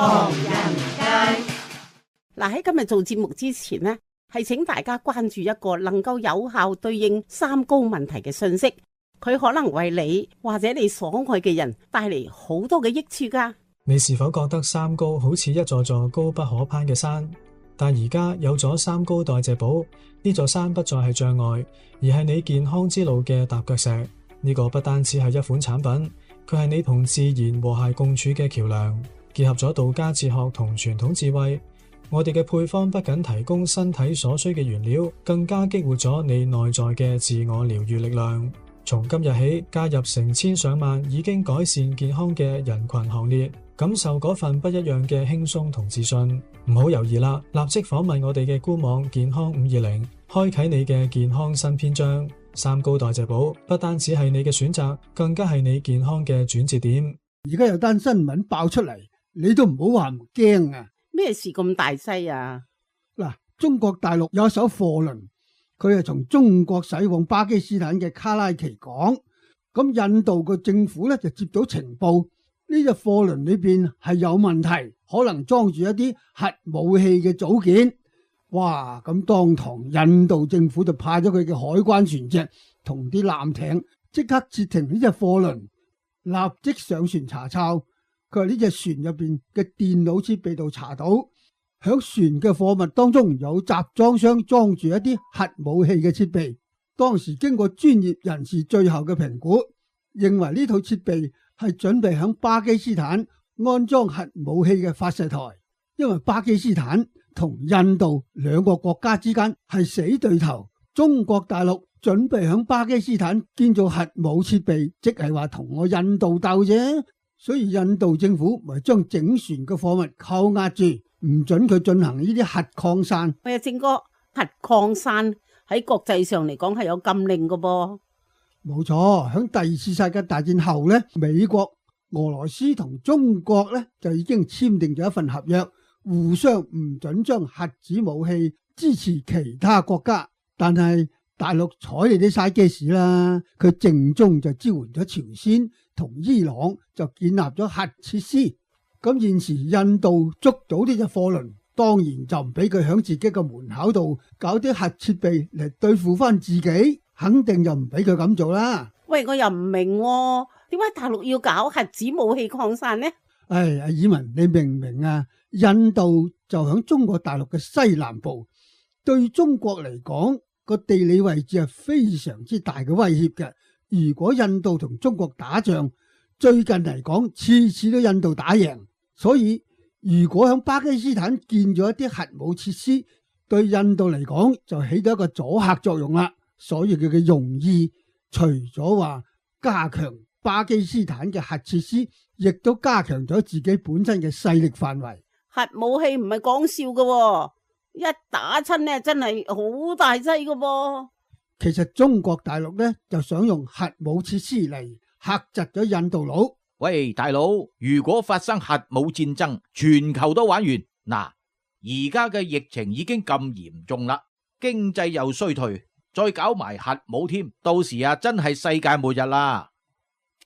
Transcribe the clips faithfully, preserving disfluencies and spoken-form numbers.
唐人街。嗱，喺今日做節目之前呢，係請大家關注一個能夠有效對應三高問題嘅信息，佢可能為你或者你所愛嘅人帶嚟好多嘅益處噶。你是否覺得三高好似一座座高不可攀嘅山？但而家有咗三高代謝寶，呢座山不再係障礙，而係你健康之路嘅踏腳石。呢個不單止係一款產品，佢係你同自然和諧共處嘅橋樑，結合咗道家哲學同傳統智慧。我哋嘅配方不僅提供身體所需嘅原料，更加激活咗你內在嘅自我療癒力量。從今日起，加入成千上萬已經改善健康嘅人群行列，感受嗰份不一樣嘅輕鬆同自信。唔好猶豫啦，立即訪問我哋嘅官網健康五二零，開啟你嘅健康新篇章。三高代謝寶不單只係你嘅選擇，更加係你健康嘅轉折點。而家有單新聞爆出嚟，你都唔好話唔驚啊！咩事咁大劑啊？嗱，中國大陸有一艘貨輪，佢係從中國駛往巴基斯坦嘅卡拉奇港。咁印度個政府咧就接到情報，呢隻貨輪裏邊係有問題，可能裝住一啲核武器嘅組件。哇！咁當堂印度政府就派咗佢嘅海關船隻同啲艦艇即刻截停呢隻貨輪，立即上船查抄。佢話呢隻船入邊嘅電腦設備度查到，響船嘅貨物當中有集裝箱裝住一啲核武器嘅設備。當時經過專業人士最後嘅評估，認為呢套設備係準備響巴基斯坦安裝核武器嘅發射台，因為巴基斯坦同印度兩個國家之間係死對頭，中國大陸準備響巴基斯坦建造核武設備，即係話同我印度鬥啫。所以印度政府咪將整船嘅貨物扣押住，唔准佢進行呢啲核擴散。喂，正哥，核擴散喺國際上嚟講係有禁令㗎噃。冇錯，響第二次世界大戰後呢，美國、俄羅斯同中國呢就已經簽訂咗一份合約，互相唔准將核子武器支持其他國家。但係大陸睬你啲嘥機屎啦，佢正中就支援咗朝鮮同伊朗，就建立咗核設施。咁現時印度捉到呢隻貨輪，當然就唔俾佢響自己嘅門口度搞啲核設備嚟對付翻自己，肯定就唔俾佢咁做啦。喂，我又唔明喎，點解大陸要搞核子武器擴散呢？唉，阿爾文，你明唔明啊？印度就響中國大陸嘅西南部，對中國嚟講個地理位置係非常之大嘅威脅嘅。如果印度同中國打仗，最近嚟講次次都印度打贏，所以如果響巴基斯坦建咗一啲核武設施，對印度嚟講就起到一個阻嚇作用啦。所以佢嘅用意除咗話加強巴基斯坦嘅核設施，亦都加強咗自己本身嘅勢力範圍。核武器唔係講笑㗎喎，一打親呢真係好大劑㗎噃。其實中國大陸呢就想用核武設施嚟嚇窒咗印度佬。喂，大佬，如果發生核武戰爭，全球都玩完。嗱，而家嘅疫情已經咁嚴重啦，經濟又衰退，再搞埋核武添，到時啊真係世界末日啦。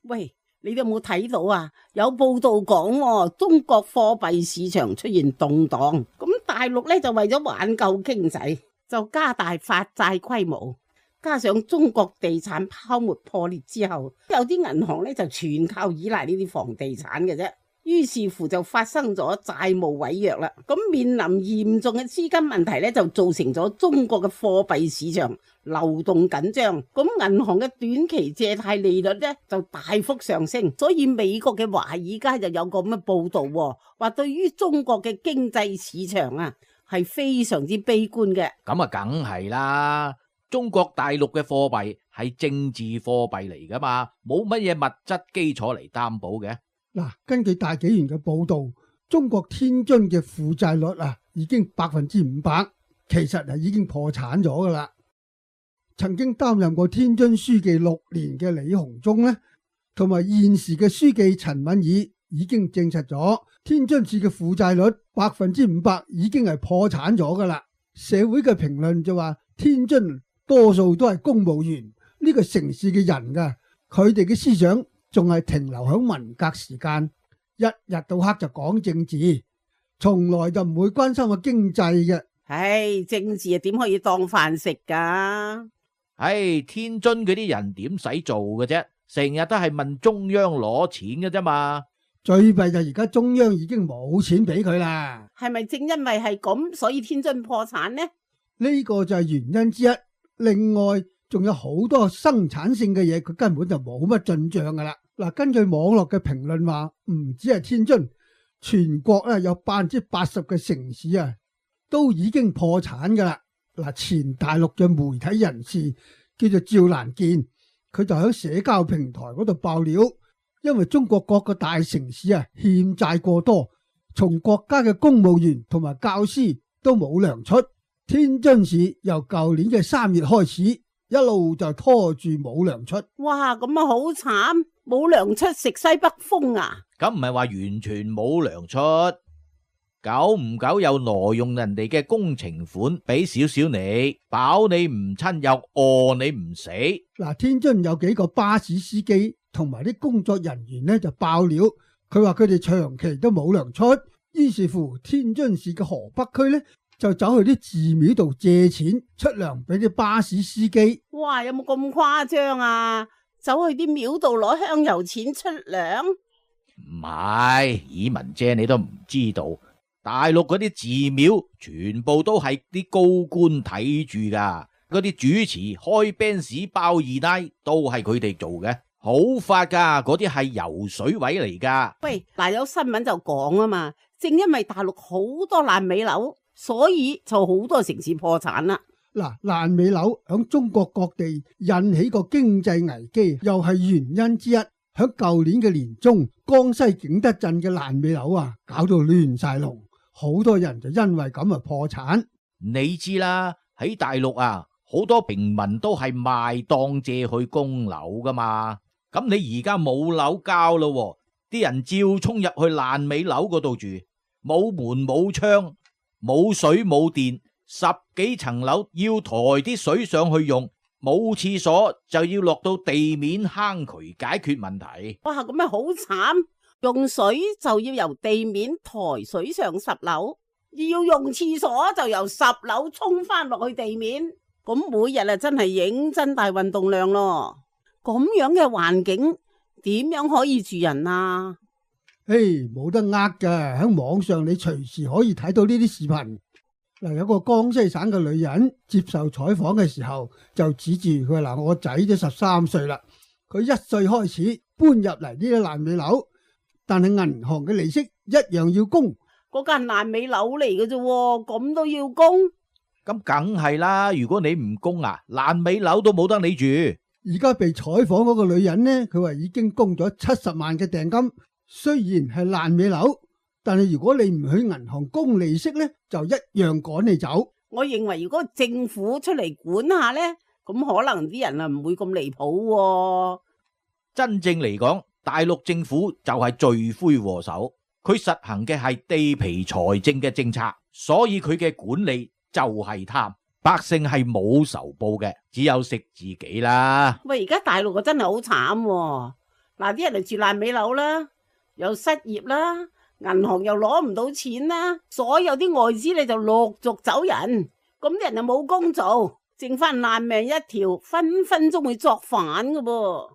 喂，你有冇睇到啊？有報道講喎，中國貨幣市場出現動盪，咁大陸呢就為咗挽救經濟，就加大發債規模。加上中國地產泡沫破裂之後，有啲銀行咧就全靠依賴呢啲房地產嘅啫，於是乎就發生咗債務違約啦。咁面臨嚴重嘅資金問題咧，就造成咗中國嘅貨幣市場流動緊張，咁銀行嘅短期借貸利率咧就大幅上升。所以美國嘅華爾街就有個咁嘅報道，話對於中國嘅經濟市場啊係非常之悲觀嘅。咁啊，梗係啦。中國大陸嘅貨幣係政治貨幣嚟噶嘛，冇乜嘢物質基礎嚟擔保嘅。嗱，根據大紀元嘅報道，中國天津嘅負債率啊已經百分之五百，其實係已經破產咗噶啦。曾經擔任過天津書記六年嘅李鴻忠呢，同埋現時嘅書記陳敏爾已經證實咗，天津市嘅負債率百分之五百已經係破產咗噶啦。社會嘅評論就話天津多數都係公務員，呢、這個城市嘅人噶，佢哋嘅思想仲係停留喺文革時間。一日到黑就講政治，從來就唔會關心個經濟嘅。唉，政治啊點可以當飯食噶？唉，天津嗰啲人點使做嘅啫？成日都係問中央攞錢嘅啫嘛。最弊就而家中央已經冇錢俾佢啦。係咪正因為係咁，所以天津破產呢？呢個就係原因之一。另外仲有好多生產性嘅嘢，佢根本就冇乜進賬噶啦。嗱，根據網絡嘅評論話，唔止係天津，全國咧有百分之八十嘅城市啊，都已經破產噶啦。嗱，前大陸嘅媒體人士叫做趙蘭健，佢就喺社交平台嗰度爆料。因為中國各個大城市啊欠債過多，從國家嘅公務員同埋教師都冇糧出。天津市由舊年嘅三月開始，一路就拖住冇糧出。哇，咁啊好慘，冇糧出食西北風啊！咁唔係話完全冇糧出，久唔久又挪用人哋嘅工程款俾少少你，飽你唔親又餓你唔死。嗱，天津有幾個巴士司機同埋啲工作人員呢就爆料，佢話佢哋長期都冇糧出，於是乎天津市嘅河北區呢就走去啲寺廟度借錢出糧俾啲巴士司機。哇，有冇咁誇張啊？走去啲廟度攞香油錢出糧？唔係，以文姐你都唔知道，大陸嗰啲寺廟全部都係啲高官睇住噶，嗰啲主持開 band 包二奶都係佢哋做嘅。好發噶，嗰啲係油水位嚟噶。喂，嗱，有新聞就講啊嘛，正因為大陸好多爛尾樓，所以就好多城市破產啦。嗱，爛尾樓響中國各地引起個經濟危機，又係原因之一。響舊年嘅年中，江西景德鎮嘅爛尾樓啊，搞到亂晒龍，好多人就因為咁啊破產。你知啦，喺大陸啊，好多平民都係賣當借去供樓噶嘛。咁你而家冇樓交咯，啲人照衝入去爛尾樓嗰度住，冇門冇窗，冇水冇電，十幾層樓要抬啲水上去用，冇廁所就要落到地面坑渠解決問題。哇，咁咪好慘，用水就要由地面抬水上十樓，要用廁所就由十樓衝翻落去地面，咁每日啊真係認真大運動量咯。咁樣嘅環境點樣可以住人啊？誒，冇得呃㗎，喺網上你隨時可以睇到呢啲視頻。嗱，有個江西省嘅女人接受採訪嘅時候，就指住佢話嗱，我仔都十三歲啦，佢一歲開始搬入嚟呢啲爛尾樓，但係銀行嘅利息一樣要供。嗰間爛尾樓嚟嘅啫，咁都要供？咁梗係啦，如果你唔供啊，爛尾樓都冇得你住。而家被採訪嗰個女人呢，佢話已經供咗七十萬嘅訂金，雖然係爛尾樓，但係如果你唔去銀行供利息呢，就一樣趕你走。我認為如果政府出嚟管下呢，咁可能啲人啊唔會咁離譜喎。真正嚟講，大陸政府就係罪魁禍首，佢實行嘅係地皮財政嘅政策，所以佢嘅管理就係貪。百姓係冇仇報嘅，只有食自己啦。喂，而家大陸啊真係好慘喎。嗱，啲人嚟住爛尾樓啦，又失業啦，銀行又攞唔到錢啦，所有啲外資你就陸續走人，咁啲人就冇工做，剩翻爛命一條，分分鐘會作反噶噃。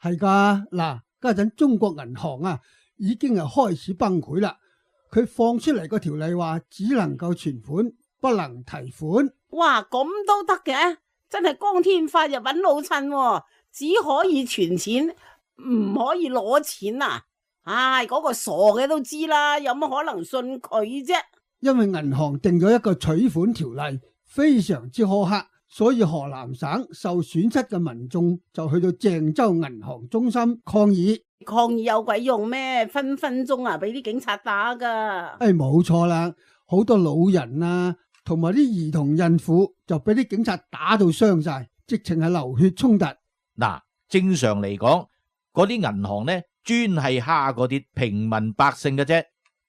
係噶，嗱，家陣中國銀行啊已經係開始崩潰啦，佢放出嚟個條例話只能夠存款，不能提款。哇，咁都得嘅，真係光天化日揾老襯喎，只可以存錢，唔可以攞錢啊！唉，嗰個傻嘅都知啦，有乜可能信佢啫？因為銀行定咗一個取款條例，非常之苛刻，所以河南省受損失嘅民眾就去到鄭州銀行中心抗議。抗議有鬼用咩？分分鐘啊，俾啲警察打噶。誒，冇錯啦，好多老人啊，同埋啲兒童孕婦就俾啲警察打到傷晒，直情係流血衝突。嗱，正常嚟講，嗰啲銀行呢，專係蝦嗰啲平民百姓嘅啫。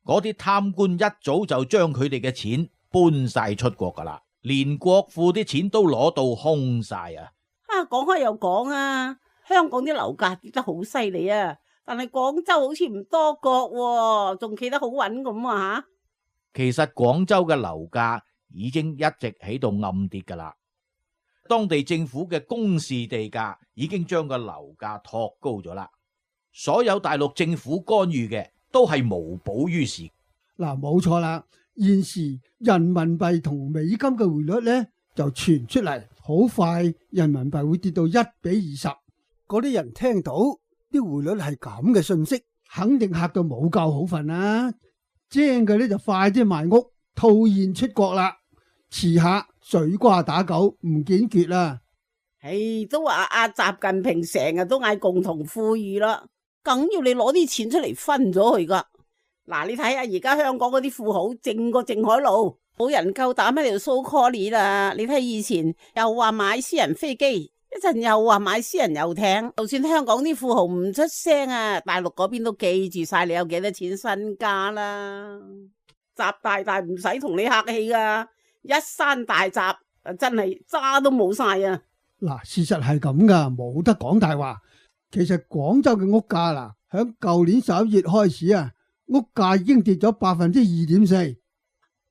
嗰啲貪官一早就將佢哋嘅錢搬晒出國噶啦，連國庫啲錢都攞到空晒啊！啊，講開又講啊，香港啲樓價跌得好犀利啊，但係廣州好似唔多角，仲企得好穩咁啊吓。其實廣州嘅樓價已經一直喺度暗跌噶啦，當地政府嘅公示地價已經將個樓價托高咗啦。所有大陸政府干預嘅都係無補於事。嗱，冇錯啦，現時人民幣同美金嘅匯率呢就傳出嚟，好快人民幣會跌到一比二十。嗰啲人聽到啲匯率係咁嘅信息，肯定嚇到冇覺好瞓啦。精嘅呢就快啲賣屋套現出國啦，遲下水瓜打狗唔見決啦。唉，都話阿習近平成日都嗌共同富裕啦，梗要你攞啲錢出嚟分咗佢噶。嗱，你睇下而家香港嗰啲富豪淨過淨海路，冇人夠膽喺度 so call 啦。你睇以前又話買私人飛機，一陣又話買私人遊艇，就算香港啲富豪唔出聲啊，大陸嗰邊都記住晒你有幾多錢身家啦。習大大唔使同你客氣噶，一山大習真係渣都冇晒啊！嗱，事實係咁噶，冇得講大話。其實廣州嘅屋價啦，響舊年十一月開始啊，屋價已經跌咗百分之二點四，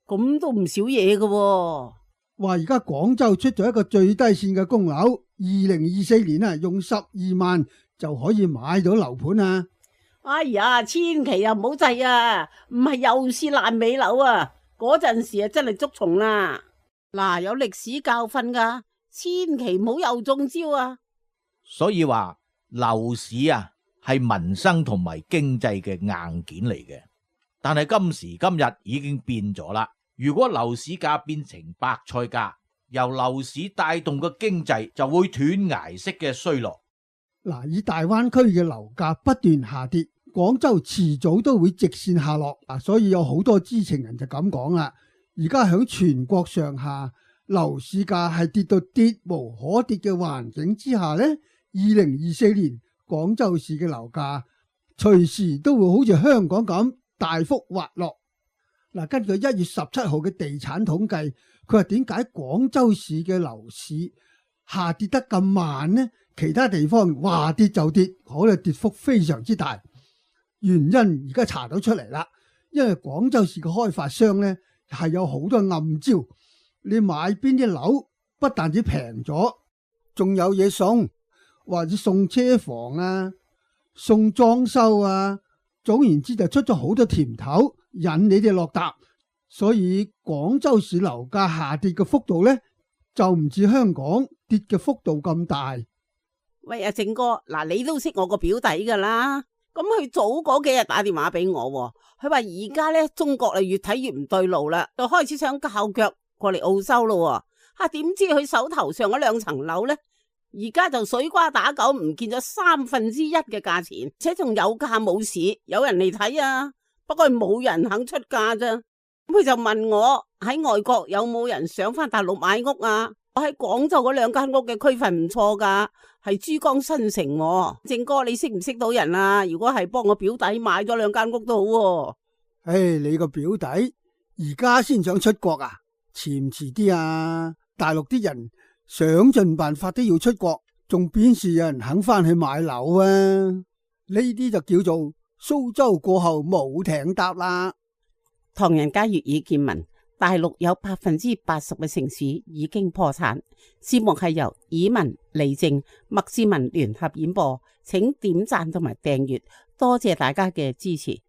咁都唔少嘢噶喎。話而家廣州出咗一個最低線嘅供樓，二零二四年啊，用十二萬就可以買到樓盤啊！哎呀，千祈又唔好制啊，唔係又是爛尾樓啊！嗰陣時啊，真係捉蟲啦。嗱，有歷史教訓噶，千祈唔好又中招啊！所以話樓市啊係民生同埋經濟嘅硬件嚟嘅，但係今時今日已經變咗啦。如果樓市價變成白菜價，由樓市帶動嘅經濟就會斷崖式嘅衰落。嗱，以大灣區嘅樓價不斷下跌，廣州遲早都會直線下落。嗱，所以有好多知情人就咁講啦。而家響全國上下樓市價係跌到跌無可跌嘅環境之下呢，二零二四年廣州市嘅樓價隨時都會好似香港咁大幅滑落。嗱，根據一月十七號嘅地產統計，佢話點解廣州市嘅樓市下跌得咁慢呢？其他地方話跌就跌，可能跌幅非常之大。原因而家查到出嚟啦，因為廣州市嘅開發商呢係有好多暗招，你買邊啲樓不但止平咗，仲有嘢送，或者送車房啊，送裝修啊，總言之就出咗好多甜頭引你哋落搭。所以廣州市樓價下跌嘅幅度呢，就唔似香港跌嘅幅度咁大。喂，阿正哥，嗱，你都識我個表弟噶啦，咁佢早嗰幾日打電話俾我，佢話而家咧中國啊越睇越唔對路啦，就開始想靠腳過嚟澳洲咯。吓、啊，點知佢手頭上嗰兩層樓咧，而家就水瓜打狗唔見咗三分之一嘅價錢，且仲有價冇市，有人嚟睇啊，不過冇人肯出價咋。咁佢就問我喺外國有冇人想翻大陸買屋啊？我喺廣州嗰兩間屋嘅區份唔錯噶，係珠江新城。正哥，你識唔識到人啊？如果係幫我表弟買咗兩間屋都好。唉、hey, 你個表弟而家先想出國啊？遲唔遲啲啊？大陸啲人想盡辦法都要出國，仲邊時有人肯翻去買樓啊？呢啲就叫做蘇州過後冇艇搭啦。唐人街粵語見聞，大陸有百分之八十嘅城市已經破產。節目係由以文、李正、麥志文聯合演播，請點讚同埋訂閱，多謝大家嘅支持。